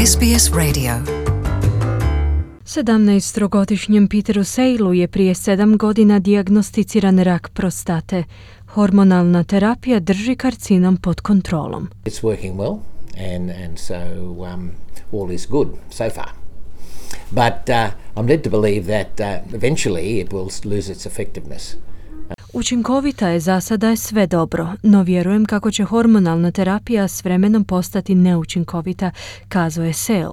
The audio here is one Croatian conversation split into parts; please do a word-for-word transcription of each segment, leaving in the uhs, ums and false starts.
S B S Radio. sedamnaestogodišnjem Peteru Sailu je prije sedam godina dijagnosticiran rak prostate. Hormonalna terapija drži karcinom pod kontrolom. It's working well and, and so um, all is good so far. But uh, I'm led to believe that uh, eventually it will lose its effectiveness. Učinkovita je, za sada je sve dobro, no vjerujem kako će hormonalna terapija s vremenom postati neučinkovita, kazao je Sail.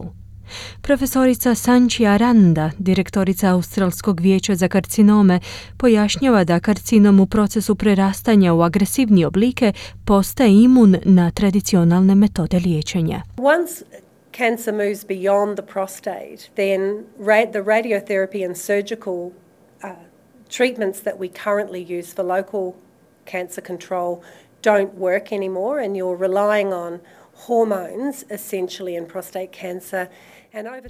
Profesorica Sanchi Aranda, direktorica Australskog vijeća za karcinome, pojašnjava da karcinom u procesu prerastanja u agresivnije oblike postaje imun na tradicionalne metode liječenja. Once cancer moves beyond the prostate, then ra- the radiotherapy and surgical uh, treatments that we currently use for local cancer control don't work anymore, and you're relying on hormones essentially in prostate cancer.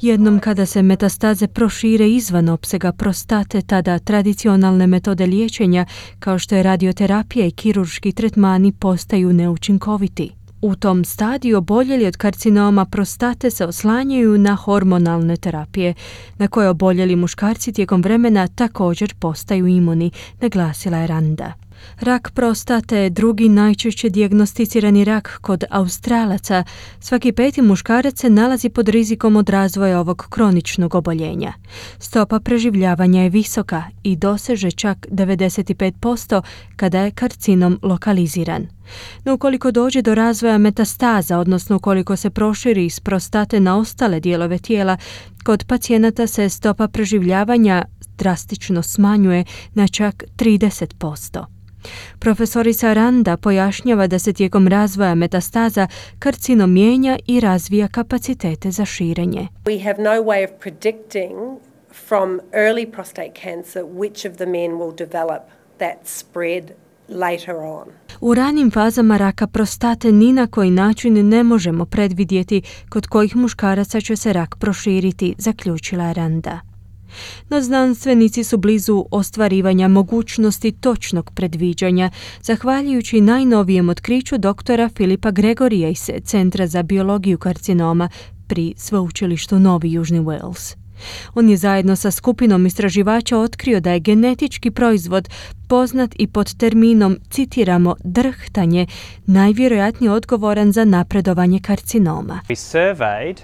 Jednom kada se metastaze prošire izvan opsega prostate, tada tradicionalne metode liječenja, kao što je radioterapija i kirurški tretmani, postaju neučinkoviti. U tom stadiju oboljeli od karcinoma prostate se oslanjaju na hormonalne terapije, na koje oboljeli muškarci tijekom vremena također postaju imuni, naglasila je Randa. Rak prostate je drugi najčešće dijagnosticirani rak kod Australaca. Svaki peti muškarac se nalazi pod rizikom od razvoja ovog kroničnog oboljenja. Stopa preživljavanja je visoka i doseže čak devedeset pet posto kada je karcinom lokaliziran. No ukoliko dođe do razvoja metastaza, odnosno ukoliko se proširi iz prostate na ostale dijelove tijela, kod pacijenata se stopa preživljavanja drastično smanjuje na čak trideset posto. Profesorica Randa pojašnjava da se tijekom razvoja metastaza karcinom mijenja i razvija kapacitete za širenje. We have no way of predicting from early prostate cancer which of the men will develop that spread later on. U ranim fazama raka prostate ni na koji način ne možemo predvidjeti kod kojih muškaraca će se rak proširiti, zaključila Randa. No znanstvenici su blizu ostvarivanja mogućnosti točnog predviđanja, zahvaljujući najnovijem otkriću doktora Filipa Gregorija iz Centra za biologiju karcinoma pri Sveučilištu Novi Južni Wales. On je zajedno sa skupinom istraživača otkrio da je genetički proizvod poznat i pod terminom, citiramo, drhtanje, najvjerojatnije odgovoran za napredovanje karcinoma. We surveyed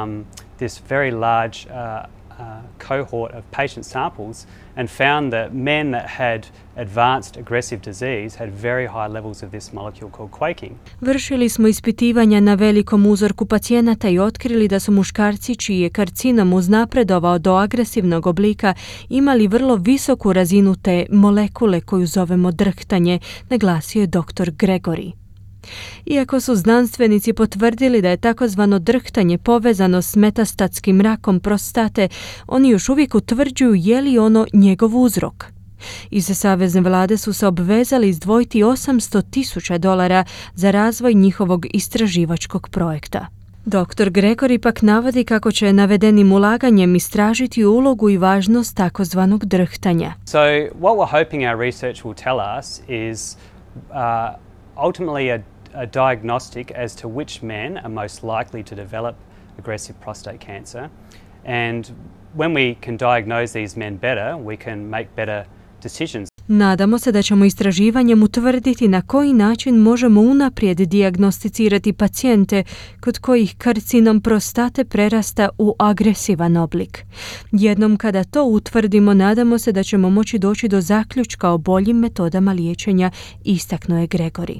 um, this very large uh, Uh, cohort of patient samples and found that men that had advanced aggressive disease had very high levels of this molecule called quaking. Vršili smo ispitivanja na velikom uzorku pacijenata i otkrili da su muškarci čiji je karcinom uznapredovao do agresivnog oblika imali vrlo visoku razinu te molekule koju zovemo drhtanje, naglasio je doktor Gregory. Iako su znanstvenici potvrdili da je takozvano drhtanje povezano s metastatskim rakom prostate, oni još uvijek utvrđuju je li ono njegov uzrok. Iz savezne vlade su se obvezali izdvojiti osamsto tisuća dolara za razvoj njihovog istraživačkog projekta. doktor Gregory pak navodi kako će navedenim ulaganjem istražiti ulogu i važnost takozvanog drhtanja. So what we're hoping our research will tell us is uh, ultimately a a diagnostic as to which men are most likely to develop aggressive prostate cancer, and when we can diagnose these men better, we can make better decisions. Nadamo se da ćemo istraživanjem utvrditi na koji način možemo unaprijed dijagnosticirati pacijente kod kojih karcinom prostate prerasta u agresivan oblik. Jednom kada to utvrdimo, nadamo se da ćemo moći doći do zaključka o boljim metodama liječenja, istaknuo je Gregory.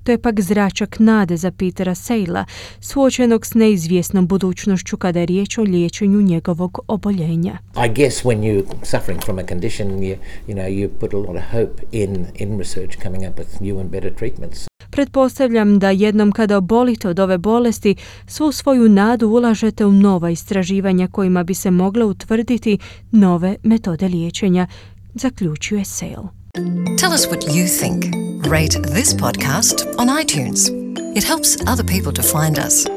To je pak zračak nade za Petera Saila, suočenog s neizvjesnom budućnošću kada je riječ o liječenju njegovog oboljenja. I guess when you're suffering from a condition, you, you know, you put a lot of hope in, in research coming up with new and better treatments. Pretpostavljam da jednom kada obolite od ove bolesti, svu svoju nadu ulažete u nova istraživanja kojima bi se mogle utvrditi nove metode liječenja, zaključuje Sail. Tell us what you think. Rate this podcast on iTunes. It helps other people to find us.